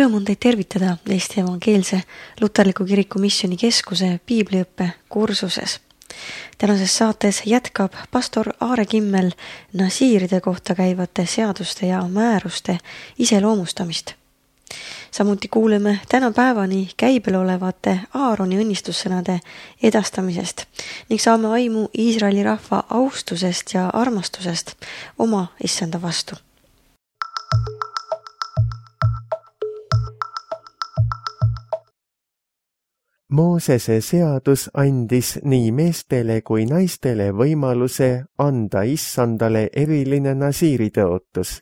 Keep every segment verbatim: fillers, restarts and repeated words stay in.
Rõõm on teid tervitada Eesti Evangeelse Luterliku Kiriku Missioni Keskuse piibliõppe kursuses. Tänases saates jätkab pastor Aare Kimmel nasiiride kohta käivate seaduste ja määruste iseloomustamist. Samuti kuuleme tänapäevani käibel olevate Aaroni õnnistussõnade edastamisest ning saame aimu Iisraeli rahva austusest ja armastusest oma issanda vastu. Moosese seadus andis nii meestele kui naistele võimaluse anda issandale eriline nasiiri tõotus.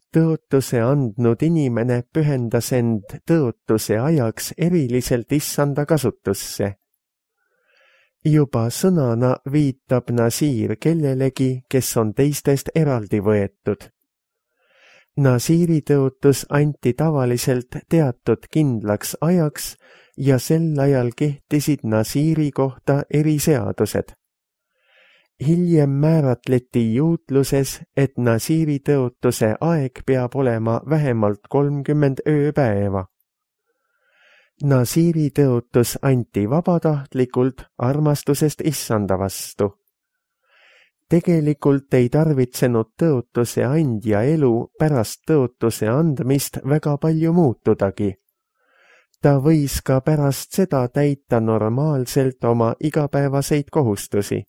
Tõotuse andnud inimene pühendas end tõotuse ajaks eriliselt issanda kasutusse. Juba sõnana viitab nasiir kellelegi, kes on teistest eraldi võetud. Nasiiri tõotus anti tavaliselt teatud kindlaks ajaks ja sel ajal kehtisid nasiiri kohta eriseadused. Hiljem määratleti juutluses, et nasiiri tõotuse aeg peab olema vähemalt kolmkümmend ööpäeva. Nasiiri tõotus anti vabatahtlikult armastusest issanda vastu. Tegelikult ei tarvitsenud tõotuse andja elu pärast tõotuse andmist väga palju muutudagi. Ta võis ka pärast seda täita normaalselt oma igapäevaseid kohustusi.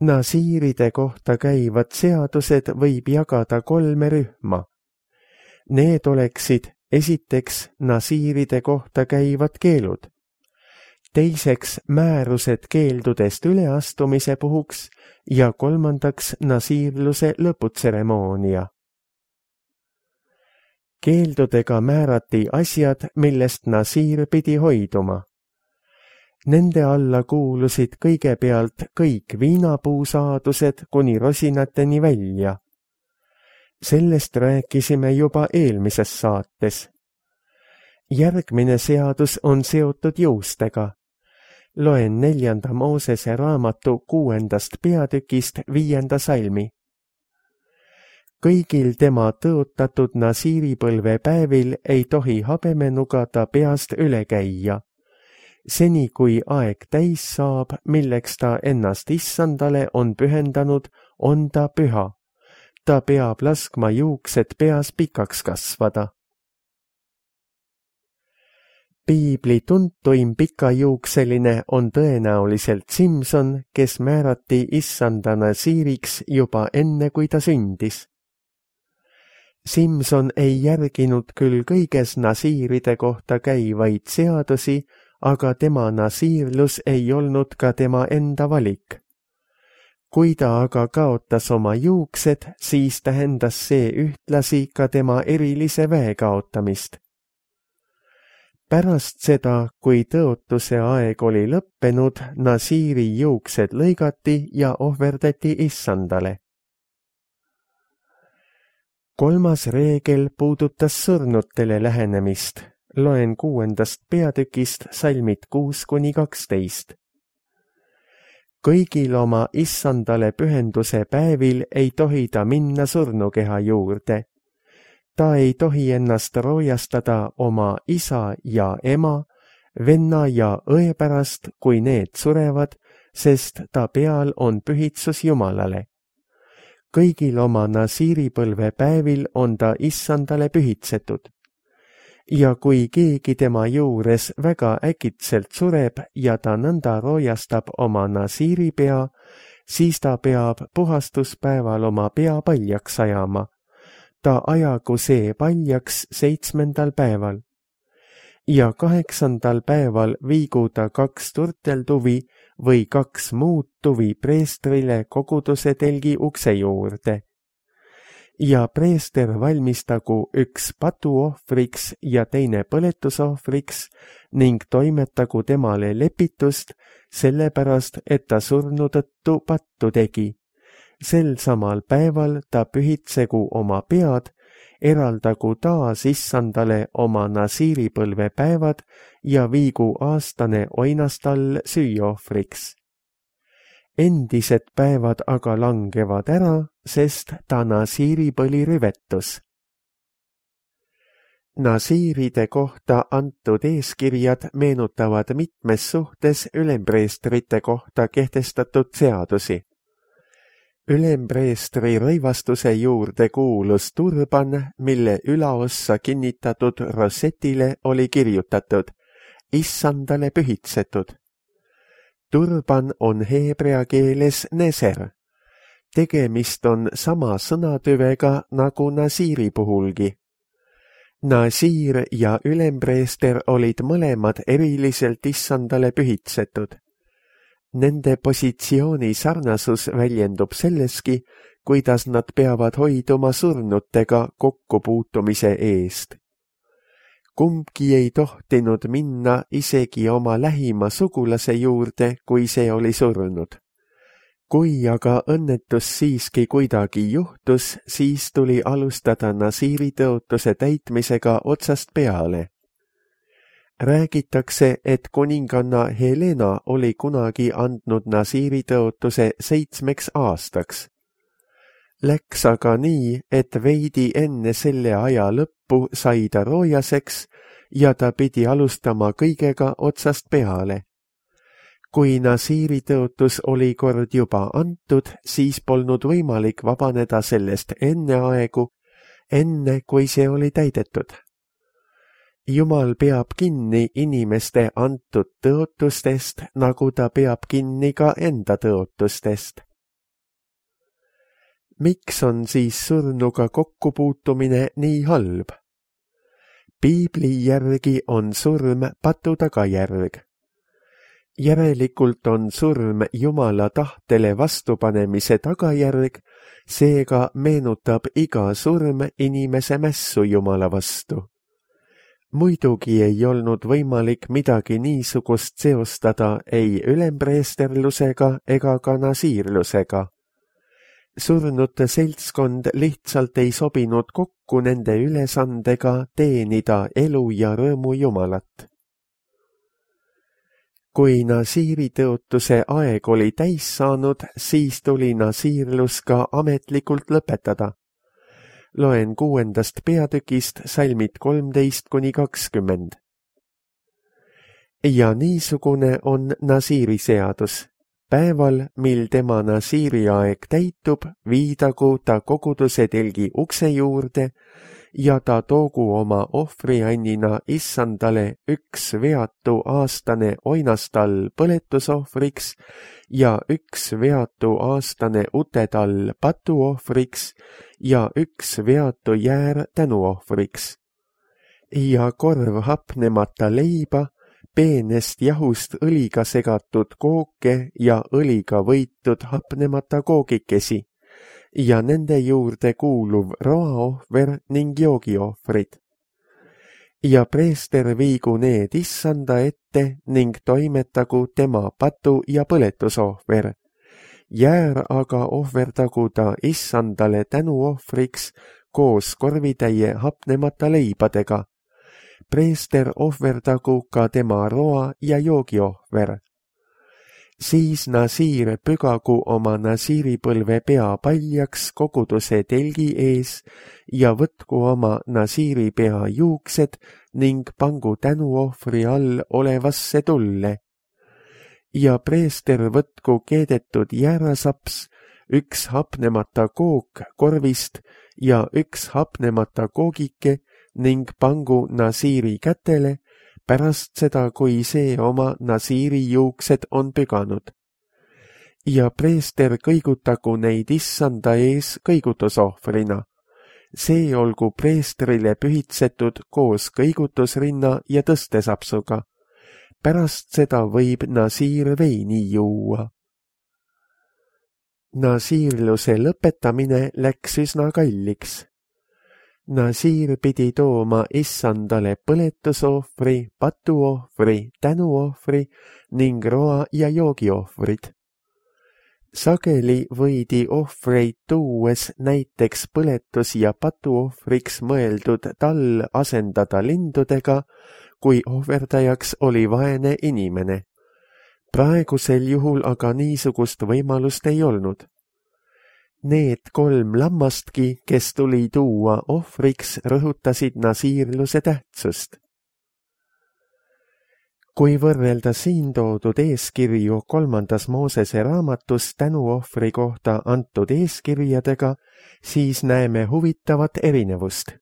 Nasiiride kohta käivad seadused võib jagada kolme rühma. Need oleksid esiteks nasiiride kohta käivad keelud, teiseks määrused keeldudest üleastumise puhuks ja kolmandaks nasiirluse lõputseremoonia. Keeldudega määrati asjad, millest nasiir pidi hoiduma. Nende alla kuulusid kõigepealt kõik viinapuusaadused kuni rosinateni välja. Sellest rääkisime juba eelmises saates. Järgmine seadus on seotud juustega. Loen neljanda Moosese raamatu kuuendast peatükist viienda salmi. Kõigil tema tõotatud nasiiripõlve päevil ei tohi habemenuga ta peast üle käia. Seni kui aeg täis saab, milleks ta ennast issandale on pühendanud, on ta püha. Ta peab laskma juuksed peas pikaks kasvada. Piibli tuntuim pikajuukseline on tõenäoliselt Simson, kes määrati issanda nasiiriks juba enne, kui ta sündis. Simson ei järginud küll kõiges nasiiride kohta käivaid seadusi, aga tema nasiirlus ei olnud ka tema enda valik. Kui ta aga kaotas oma juuksed, siis tähendas see ühtlasi ka tema erilise väe kaotamist. Pärast seda, kui tõotuse aeg oli lõppenud, nasiiri juuksed lõigati ja ohverdati issandale. Kolmas reegel puudutas surnutele lähenemist. Loen kuuendast peatükist salmid kuus kuni kaksteist. Kõigil oma issandale pühenduse päevil ei tohi ta minna surnukeha juurde. Ta ei tohi ennast roojastada oma isa ja ema, venna ja õe pärast, kui need surevad, sest ta peal on pühitsus Jumalale. Kõigil oma nasiiripõlve päevil on ta issandale pühitsetud. Ja kui keegi tema juures väga äkitselt sureb ja ta nõnda roojastab oma nasiiripea, siis ta peab puhastuspäeval oma pea paljaks ajama. Ta ajagu see paljaks seitsmendal päeval. Ja kaheksandal päeval viigu ta kaks turteltuvi või kaks muud tuvi preestrile koguduse telgi ukse juurde. Ja preester valmistagu üks patuohvriks ja teine põletusohvriks ning toimetagu temale lepitust, sellepärast, et ta surnu tõttu pattu tegi. Sel samal päeval ta pühitsegu oma pead, eraldagu taas issandale oma nasiiripõlve päevad ja viigu aastane oinastall süüohvriks. Endised päevad aga langevad ära, sest ta nasiiripõli rüvetus. Nasiiride kohta antud eeskirjad meenutavad mitmes suhtes ülempreestrite kohta kehtestatud seadusi. Ülempreestri rõivastuse juurde kuulus turban, mille ülaossa kinnitatud rosetile oli kirjutatud Issandale pühitsetud. Turban on heebrea keeles neser. Tegemist on sama sõnatüvega nagu nasiiri puhulgi. Nasiir ja ülempreester olid mõlemad eriliselt Issandale pühitsetud. Nende positsiooni sarnasus väljendub selleski, kuidas nad peavad hoiduma surnutega kokkupuutumise eest. Kumbki ei tohtinud minna isegi oma lähima sugulase juurde, kui see oli surnud. Kui aga õnnetus siiski kuidagi juhtus, siis tuli alustada nasiiri tõotuse täitmisega otsast peale. Räägitakse, et kuninganna Helena oli kunagi andnud nasiiri tõotuse seitsmeks aastaks. Läks aga nii, et veidi enne selle aja lõppu sai ta roojaseks ja ta pidi alustama kõigega otsast peale. Kui nasiiri tõotus oli kord juba antud, siis polnud võimalik vabaneda sellest enne aegu, enne kui see oli täidetud. Jumal peab kinni inimeste antud tõotustest, nagu ta peab kinni ka enda tõotustest. Miks on siis surnuga kokkupuutumine nii halb? Piibli järgi on surm patu tagajärg. Järelikult on surm Jumala tahtele vastupanemise tagajärg, seega meenutab iga surm inimese mässu Jumala vastu. Muidugi ei olnud võimalik midagi niisugust seostada ei ülempreesterlusega ega ka nasiirlusega. Surnute seltskond lihtsalt ei sobinud kokku nende ülesandega teenida elu ja rõõmu Jumalat. Kui nasiiri tõotuse aeg oli täis saanud, siis tuli nasiirlus ka ametlikult lõpetada. Loen kuuendast peatükist salmid kolmteist kuni kakskümmend. Ja niisugune on nasiiri seadus. Päeval, mil tema nasiiri aeg täitub, viidagu ta koguduse telgi ukse juurde ja ta toogu oma ohvriannina Issandale üks veatu aastane oinastall põletusohvriks ja üks veatu aastane utetall patuohvriks ja üks veatu jäär tänuohvriks. Ja korv hapnemata leiba, peenest jahust õliga segatud kooke ja õliga võitud hapnemata koogikesi ja nende juurde kuuluv roaohver ning joogiohvrid. Ja preester viigu need Issanda ette ning toimetagu tema patu- ja põletusohver. Jäär aga ohverdagu ta Issandale tänuohvriks koos korvitäie hapnemata leibadega. Preester ohverdagu ka tema roa- ja joogiohver. Siis nasiir pügagu oma nasiiripõlve pea paljaks koguduse telgi ees ja võtku oma nasiiripea juuksed ning pangu tänuohvri all olevasse tulle. Ja preester võtku keedetud jäärasaps, üks hapnemata kook korvist ja üks hapnemata koogike ning pangu nasiiri kätele pärast seda, kui see oma nasiiri juuksed on püganud. Ja preester kõigutagu neid Issanda ees kõigutusohvrina. See olgu preestrile pühitsetud koos kõigutusrinna ja tõstesapsuga. Pärast seda võib nasiir veini juua. Nasiirluse lõpetamine läks üsna kalliks. Nasiir pidi tooma Issandale põletusohvri, patuohvri, tänuohvri ning roa- ja joogiohvrid. Sageli võidi ohvreid tuues näiteks põletus- ja patuohvriks mõeldud tall asendada lindudega, kui ohverdajaks oli vaene inimene. Praegusel juhul aga niisugust võimalust ei olnud. need kolm lammastki, kes tuli tuua ohvriks, rõhutasid nasiirluse tähtsust. Kui võrrelda siin toodud eeskirju kolmandas Moosese raamatus tänuohvri kohta antud eeskirjadega, siis näeme huvitavat erinevust.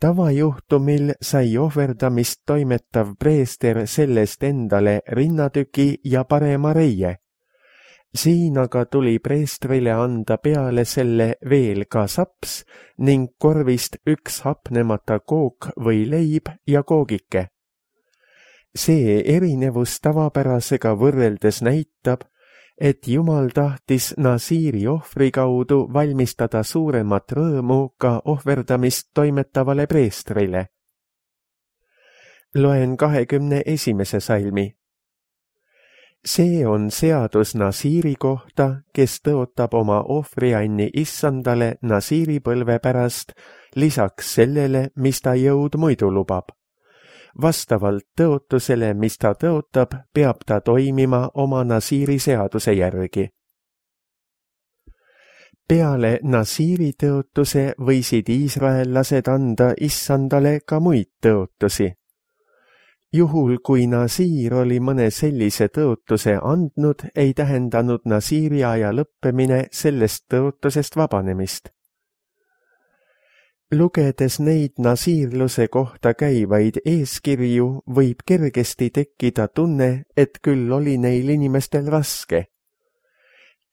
Tavajuhtumil sai ohverdamist toimetav preester sellest endale rinnatüki ja parema reie. Siin aga tuli preestrile anda peale selle veel ka saps ning korvist üks hapnemata kook või leib ja koogike. See erinevus tavapärasega võrreldes näitab, et Jumal tahtis nasiiri ohvri kaudu valmistada suuremat rõõmu ka ohverdamist toimetavale preestrile. Loen kahekümne esimese salmi. See on seadus nasiiri kohta, kes tõotab oma ohvrianni issandale nasiiri põlve pärast, lisaks sellele, mis ta jõud muidu lubab. Vastavalt tõotusele, mis ta tõotab, peab ta toimima oma nasiiri seaduse järgi. Peale nasiiri tõotuse võisid iisraellased anda issandale ka muid tõotusi. Juhul, kui nasiir oli mõne sellise tõotuse andnud, ei tähendanud nasiiri aja lõppemine sellest tõotusest vabanemist. Lugedes neid nasiirluse kohta käivaid eeskirju, võib kergesti tekkida tunne, et küll oli neil inimestel raske.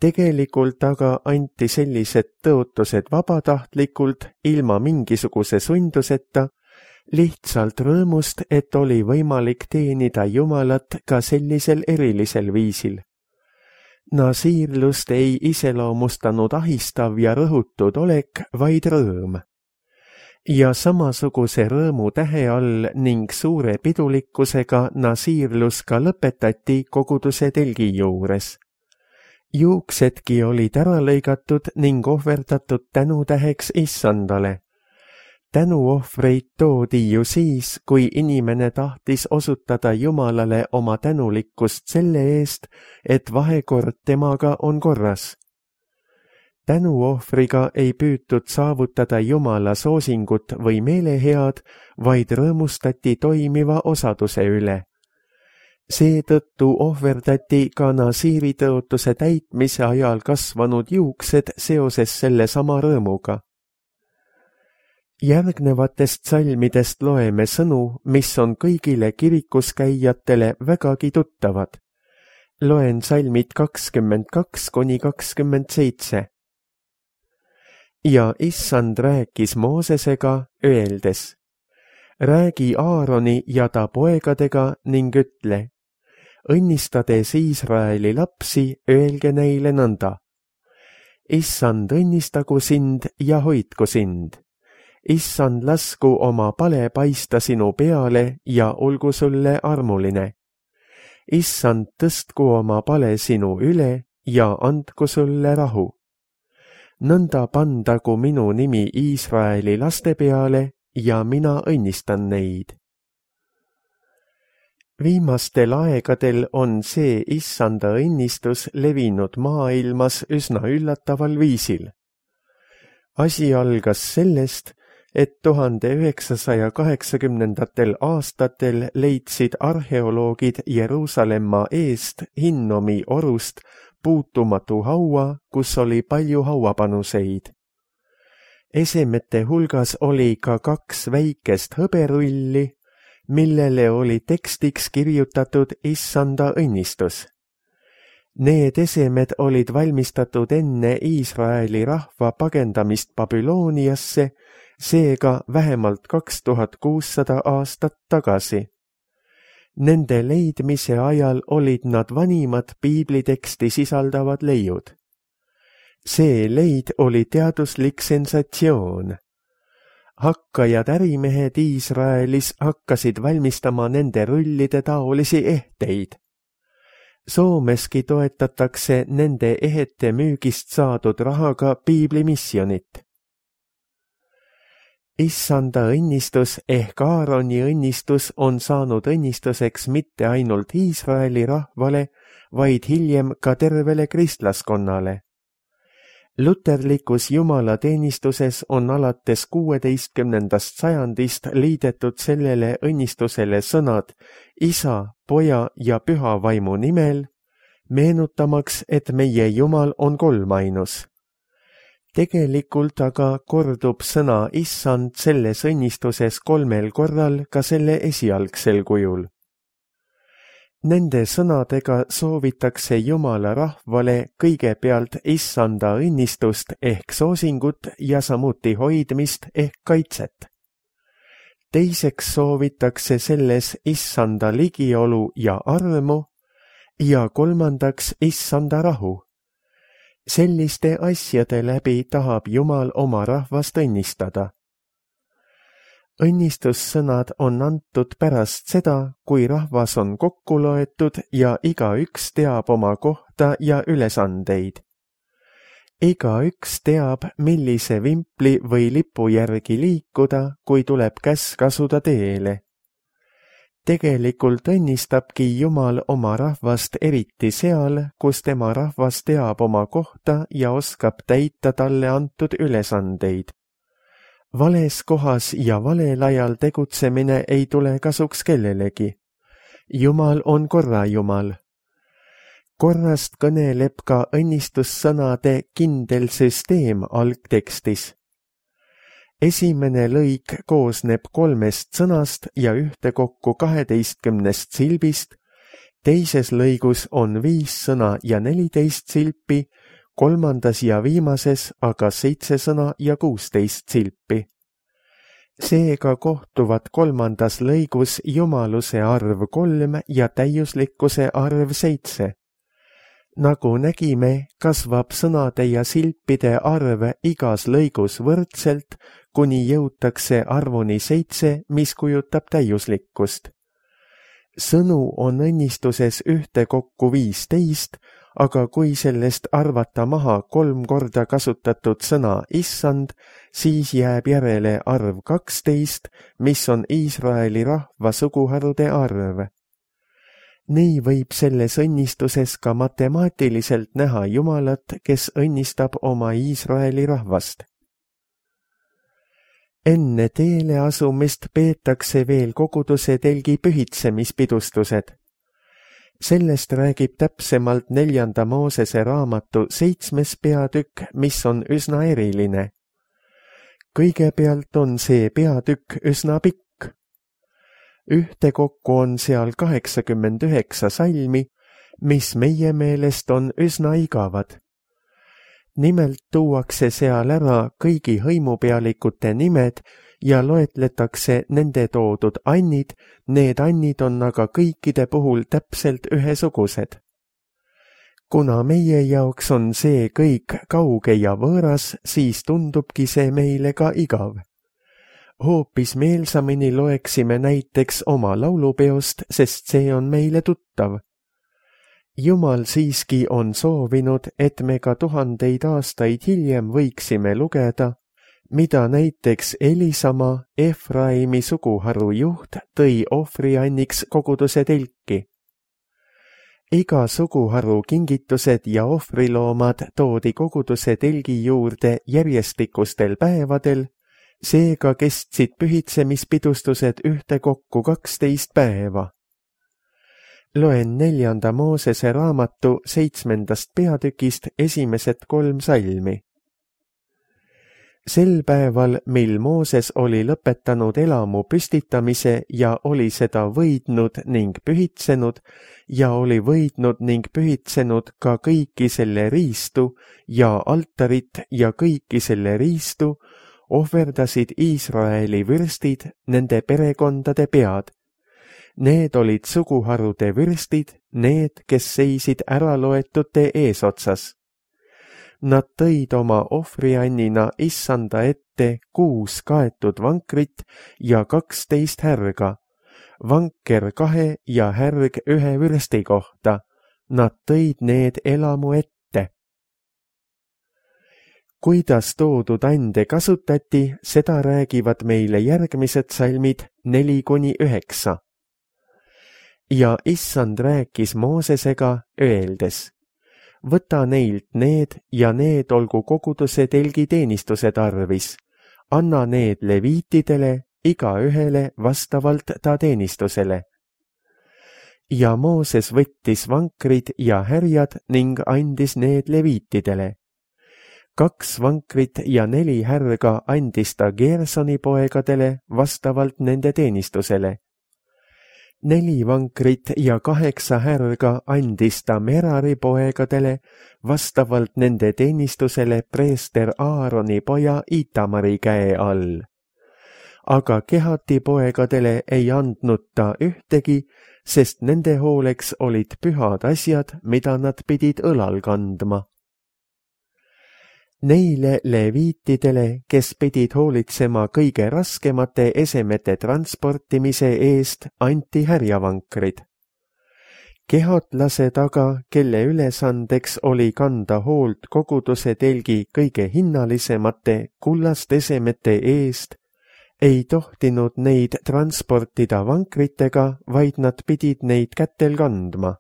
Tegelikult aga anti sellised tõotused vabatahtlikult, ilma mingisuguse sunduseta, lihtsalt rõõmust, et oli võimalik teenida Jumalat ka sellisel erilisel viisil. Nasiirlust ei iseloomustanud ahistav ja rõhutud olek, vaid rõõm. Ja samasuguse rõõmu tähe all ning suure pidulikkusega nasiirlus ka lõpetati koguduse telgi juures. Juuksedki olid ära lõigatud ning ohverdatud tänutäheks issandale. Tänuohvreid toodi ju siis, kui inimene tahtis osutada Jumalale oma tänulikkust selle eest, et vahekord temaga on korras. Tänuohvriga ei püütud saavutada Jumala soosingut või meelehead, vaid rõõmustati toimiva osaduse üle. Seetõttu ohverdati ka nasiiri tõotuse täitmise ajal kasvanud juuksed seoses selle sama rõõmuga. Järgnevatest salmidest loeme sõnu, mis on kõigile kirikus käijatele vägagi tuttavad. Loen salmid kakskümmend kaks kuni kakskümmend seitse. Ja issand rääkis Moosesega, öeldes, räägi Aaroni ja ta poegadega ning ütle, õnnistades Iisraeli lapsi, öelge neile nõnda. Issand õnnistagu sind ja hoidku sind. Issand lasku oma pale paista sinu peale ja olgu sulle armuline. Issand tõstku oma pale sinu üle ja andku sulle rahu. Nõnda pandagu minu nimi Iisraeli laste peale ja mina õnnistan neid. Viimastel aegadel on see issanda õnnistus levinud maailmas üsna üllataval viisil. Asi algas sellest, et tuhande üheksasaja kaheksakümnendatel aastatel leidsid arheoloogid Jeruusalemma eest Hinnomi orust puutumatu haua, kus oli palju hauapanuseid. Esemete hulgas oli ka kaks väikest hõberulli, millele oli tekstiks kirjutatud issanda õnnistus. Need esemed olid valmistatud enne Iisraeli rahva pagendamist Babülooniasse, seega vähemalt kaks tuhat kuussada aastat tagasi. Nende leidmise ajal olid nad vanimad piibliteksti sisaldavad leiud. See leid oli teaduslik sensatsioon. Hakkajad ärimehed Iisraelis hakkasid valmistama nende rullide taolisi ehteid. Soomeski toetatakse nende ehete müügist saadud rahaga piiblimissionit. Issanda õnnistus ehk Aaroni õnnistus on saanud õnnistuseks mitte ainult Iisraeli rahvale, vaid hiljem ka tervele kristlaskonnale. Luterlikus jumalateenistuses on alates kuueteistkümnendast sajandist liidetud sellele õnnistusele sõnad Isa, Poja ja Püha Vaimu nimel, meenutamaks, et meie Jumal on kolmainus. Tegelikult aga kordub sõna Issand selles õnnistuses kolmel korral ka selle esialgsel kujul. Nende sõnadega soovitakse Jumala rahvale kõigepealt Issanda õnnistust ehk soosingut ja samuti hoidmist ehk kaitset. Teiseks soovitakse selles Issanda ligiolu ja armu ja kolmandaks Issanda rahu. Selliste asjade läbi tahab Jumal oma rahvast õnnistada. Õnnistussõnad on antud pärast seda, kui rahvas on kokku loetud ja igaüks teab oma kohta ja ülesandeid. Igaüks teab, millise vimpli või lipu järgi liikuda, kui tuleb käsk asuda teele. Tegelikult õnnistabki Jumal oma rahvast eriti seal, kus tema rahvas teab oma kohta ja oskab täita talle antud ülesandeid. Vales kohas ja valel ajal tegutsemine ei tule kasuks kellelegi. Jumal on korra Jumal. Korrast kõneleb ka õnnistussõnade kindel süsteem algtekstis. Esimene lõik koosneb kolmest sõnast ja ühtekokku kaheteistkümnest silbist, teises lõigus on viis sõna ja neliteist silpi, kolmandas ja viimases aga seitse sõna ja kuusteist silpi. Seega kohtuvad kolmandas lõigus jumaluse arv kolm ja täiuslikkuse arv seitse. Nagu nägime, kasvab sõnade ja silpide arv igas lõigus võrdselt, kuni jõutakse arvuni seitse, mis kujutab täiuslikkust. Sõnu on õnnistuses ühtekokku viisteist, aga kui sellest arvata maha kolm korda kasutatud sõna issand, siis jääb järele arv kaksteist, mis on Iisraeli rahva suguharude arv. Nii võib selles õnnistuses ka matemaatiliselt näha Jumalat, kes õnnistab oma Iisraeli rahvast. Enne teele asumist peetakse veel koguduse telgi pühitsemispidustused. Sellest räägib täpsemalt neljanda Moosese raamatu seitsmes peatükk, mis on üsna eriline. Kõigepealt on see peatükk üsna pikk. Ühtekokku on seal kaheksakümmend üheksa salmi, mis meie meelest on üsna igavad. Nimelt tuuakse seal ära kõigi hõimupealikute nimed ja loetletakse nende toodud annid, need annid on aga kõikide puhul täpselt ühesugused. Kuna meie jaoks on see kõik kauge ja võõras, siis tundubki see meile ka igav. Hoopis meelsamini loeksime näiteks oma laulupeost, sest see on meile tuttav. Jumal siiski on soovinud, et me ka tuhandeid aastaid hiljem võiksime lugeda, mida näiteks Elisama, Efraimi suguharu juht, tõi ohvrianniks koguduse telki. Iga suguharu kingitused ja ohvriloomad toodi koguduse telgi juurde järjestikustel päevadel, seega kestsid pühitsemispidustused ühtekokku kaksteist päeva. Loen neljanda Moosese raamatu seitsmendast peatükist esimesed kolm salmi. Sel päeval, mil Mooses oli lõpetanud elamu püstitamise ja oli seda võidnud ning pühitsenud ja oli võidnud ning pühitsenud ka kõiki selle riistu ja altarit ja kõiki selle riistu, ohverdasid Iisraeli vürstid nende perekondade pead. Need olid suguharude vürstid, need, kes seisid äraloetute eesotsas. Nad tõid oma ohvriannina issanda ette kuus kaetud vankrit ja kaksteist härga, vanker kahe ja härg ühe vürsti kohta. Nad tõid need elamu ette. Kuidas toodud ande kasutati, seda räägivad meile järgmised salmid neli kuni üheksa. Ja issand rääkis Moosesega, öeldes: võta neilt need ja need olgu koguduse telgi teenistuse tarvis. Anna need leviitidele, igaühele vastavalt ta teenistusele. Ja Mooses võttis vankrid ja härjad ning andis need leviitidele. Kaks vankrit ja neli härga andis ta Gersoni poegadele vastavalt nende teenistusele. Neli vankrit ja kaheksa härga andis ta Merari poegadele vastavalt nende teenistusele preester Aaroni poja Itamari käe all. Aga Kehati poegadele ei andnud ta ühtegi, sest nende hooleks olid pühad asjad, mida nad pidid õlal kandma. Neile leviitidele, kes pidid hoolitsema kõige raskemate esemete transportimise eest, anti härjavankrid. Kehatlase taga, kelle ülesandeks oli kanda hoolt koguduse telgi kõige hinnalisemate kullast esemete eest, ei tohtinud neid transportida vankritega, vaid nad pidid neid kätel kandma.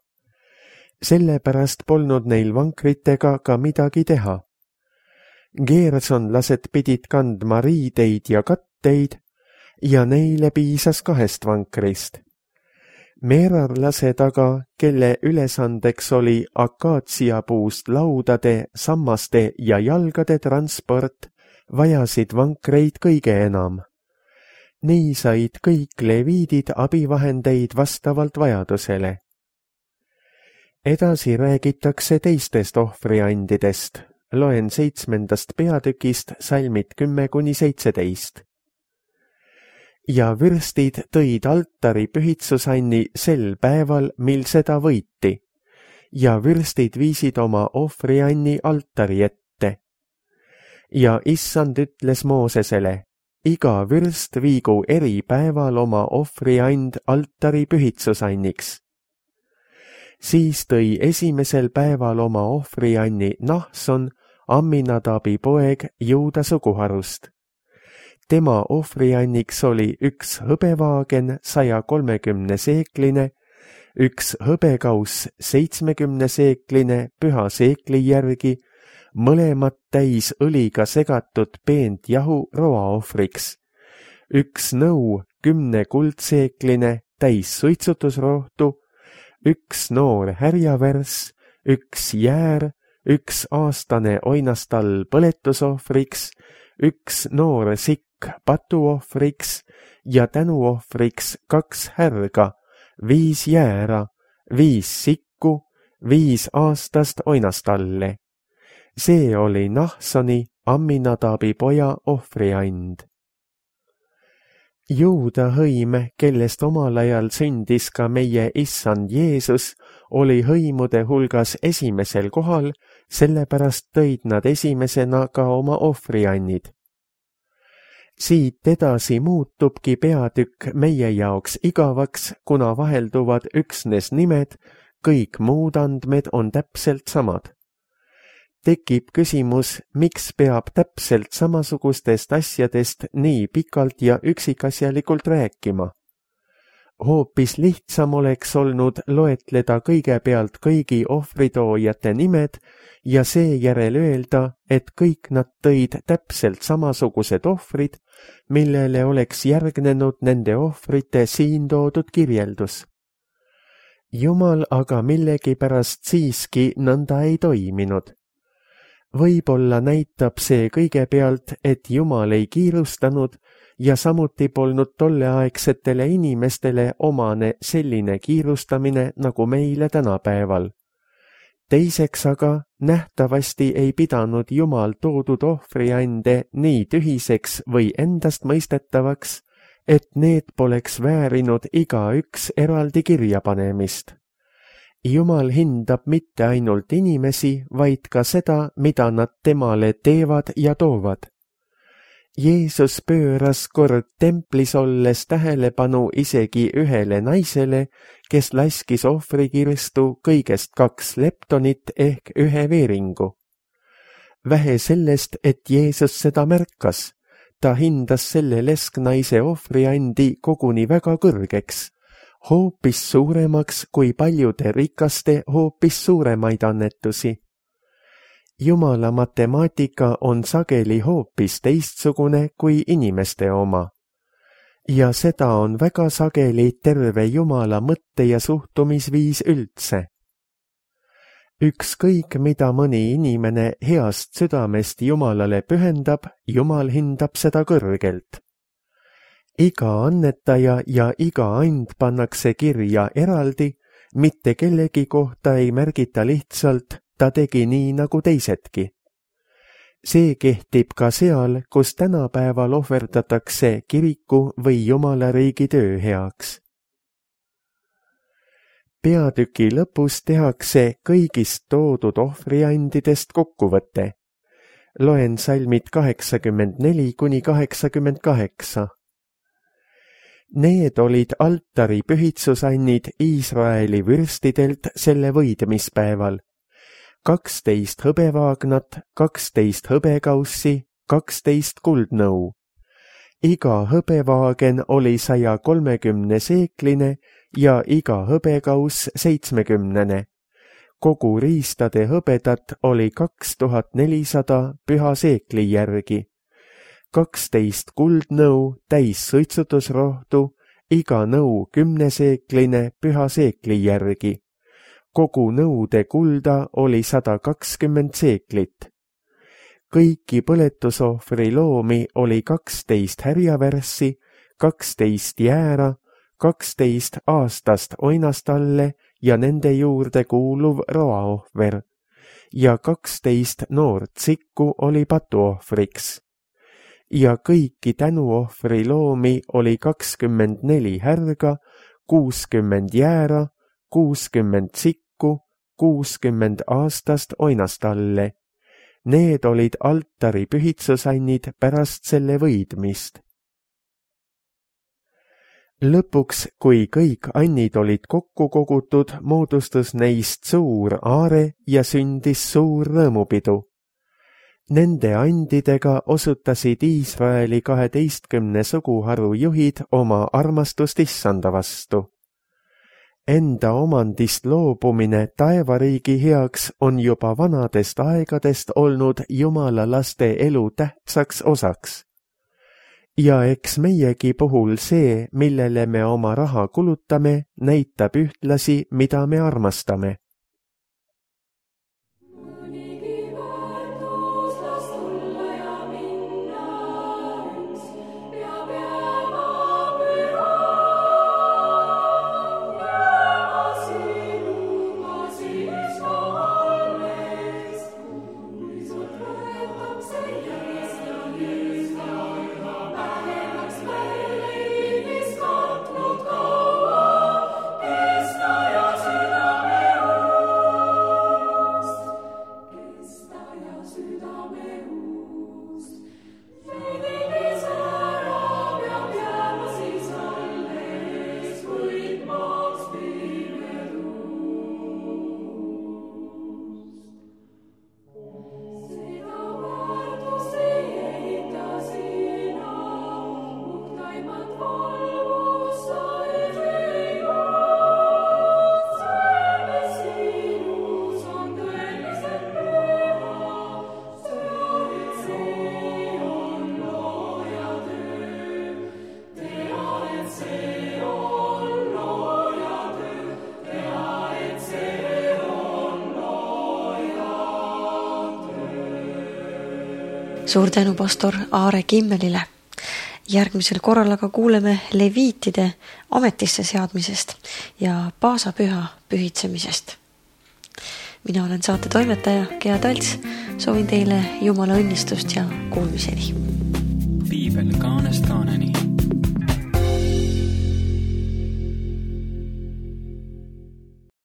Sellepärast polnud neil vankritega ka midagi teha. Gersonlased pidid kandma riideid ja katteid ja neile piisas kahest vankrist. Merarlased aga, kelle ülesandeks oli akaatsiapuust laudade, sammaste ja jalgade transport, vajasid vankreid kõige enam. Nii said kõik leviidid abivahendeid vastavalt vajadusele. Edasi räägitakse teistest ohvriandidest. Loen seitsmendast peatükist salmid kümme kuni seitseteist. Ja vürstid tõid altari pühitsusanni sel päeval, mil seda võiti, ja vürstid viisid oma ohvrianni altari ette. Ja issand ütles Moosesele, iga vürst viigu eri päeval oma ohvriand altari pühitsusanniks. Siis tõi esimesel päeval oma ohvrianni Nahson, Amminadabi poeg Juuda suguharust. Tema ohvrianniks oli üks hõbevaagen saja kolmekümne seekline, üks hõbekauss seitsmekümne seekline püha seekli järgi, mõlemad täis õliga segatud peent jahu roaohvriks, üks nõu kümne kuldseekline täis suitsutusrohtu, üks noor härjavärss, üks jäär, üks aastane oinastall põletusohvriks, üks noor sikk patuohvriks ja tänuohvriks kaks härga, viis jäära, viis sikku, viis aastast oinastalle. See oli Nahsoni, Amminadabi poja ohvriand. Juuda hõim, kellest omal ajal sündis ka meie issand Jeesus, oli hõimude hulgas esimesel kohal, sellepärast tõid nad esimesena ka oma ohvriannid. Siit edasi muutubki peatükk meie jaoks igavaks, kuna vahelduvad üksnes nimed, kõik muud andmed on täpselt samad. Tekib küsimus, miks peab täpselt samasugustest asjadest nii pikalt ja üksikasjalikult rääkima. Hoopis lihtsam oleks olnud loetleda kõigepealt kõigi ohvritoojate nimed ja seejärel öelda, et kõik nad tõid täpselt samasugused ohvrid, millele oleks järgnenud nende ohvrite siin toodud kirjeldus. Jumal aga millegipärast siiski nõnda ei toiminud. Võib-olla näitab see kõigepealt, et Jumal ei kiirustanud ja samuti polnud tolleaegsetele inimestele omane selline kiirustamine nagu meile tänapäeval. Teiseks aga nähtavasti ei pidanud Jumal toodud ohvriande nii tühiseks või endast mõistetavaks, et need poleks väärinud igaüks eraldi kirjapanemist. Jumal hindab mitte ainult inimesi, vaid ka seda, mida nad temale teevad ja toovad. Jeesus pööras kord templis olles tähelepanu isegi ühele naisele, kes laskis ohvrikirstu kõigest kaks leptonit ehk ühe veeringu. Vähe sellest, et Jeesus seda märkas, ta hindas selle lesknaise ohvriandi koguni väga kõrgeks, hoopis suuremaks kui paljude rikaste hoopis suuremaid annetusi. Jumala matemaatika on sageli hoopis teistsugune kui inimeste oma. Ja seda on väga sageli terve Jumala mõtte- ja suhtumisviis üldse. Ükskõik, mida mõni inimene heast südamest Jumalale pühendab, Jumal hindab seda kõrgelt. Iga annetaja ja iga and pannakse kirja eraldi, mitte kellegi kohta ei märgita lihtsalt, ta tegi nii nagu teisedki. See kehtib ka seal, kus tänapäeval ohverdatakse kiriku või Jumala riigi töö heaks. Peatüki lõpus tehakse kõigist toodud ohvriandidest kokkuvõte. Loen salmid kaheksakümmend neli kuni kaheksakümmend kaheksa. Need olid altari pühitsusannid Iisraeli vürstidelt selle võidmispäeval. kaksteist hõbevaagnat, kaksteist hõbekaussi, kaksteist kuldnõu. Iga hõbevaagen oli saja kolmekümne seekline ja iga hõbekauss seitsmekümnene. Kogu riistade hõbedat oli kaks tuhat nelisada püha seekli järgi. kaksteist kuldnõu täis suitsutusrohtu, iga nõu kümneseekline püha seekli järgi. Kogu nõude kulda oli sada kakskümmend seeklit. Kõiki põletusohvri loomi oli kaksteist härjavärssi, kaksteist jäära, kaksteist aastast oinastalle ja nende juurde kuuluv roaohver ja kaksteist noort sikku oli patuohvriks. Ja kõiki tänuohvri loomi oli kakskümmend neli härga, kuuskümmend jäära, kuuskümmend sikku, kuuskümmend aastast oinastalle. Need olid altari pühitsusannid pärast selle võidmist. Lõpuks, kui kõik annid olid kokku kogutud, moodustus neist suur aare ja sündis suur rõõmupidu. Nende andidega osutasid Iisraeli kaheteistkümne suguharu juhid oma armastust issanda vastu. Enda omandist loobumine taevariigi heaks on juba vanadest aegadest olnud Jumala laste elu tähtsaks osaks. Ja eks meiegi puhul see, millele me oma raha kulutame, näitab ühtlasi, mida me armastame. Suur tänu pastor Aare Kimmelile. Järgmisel korral aga kuuleme leviitide ametisse seadmisest ja paasapüha pühitsemisest. Mina olen saate toimetaja Gea Talts. Soovin teile Jumala õnnistust ja kuulmiseni. Piibel kaanest kaaneni.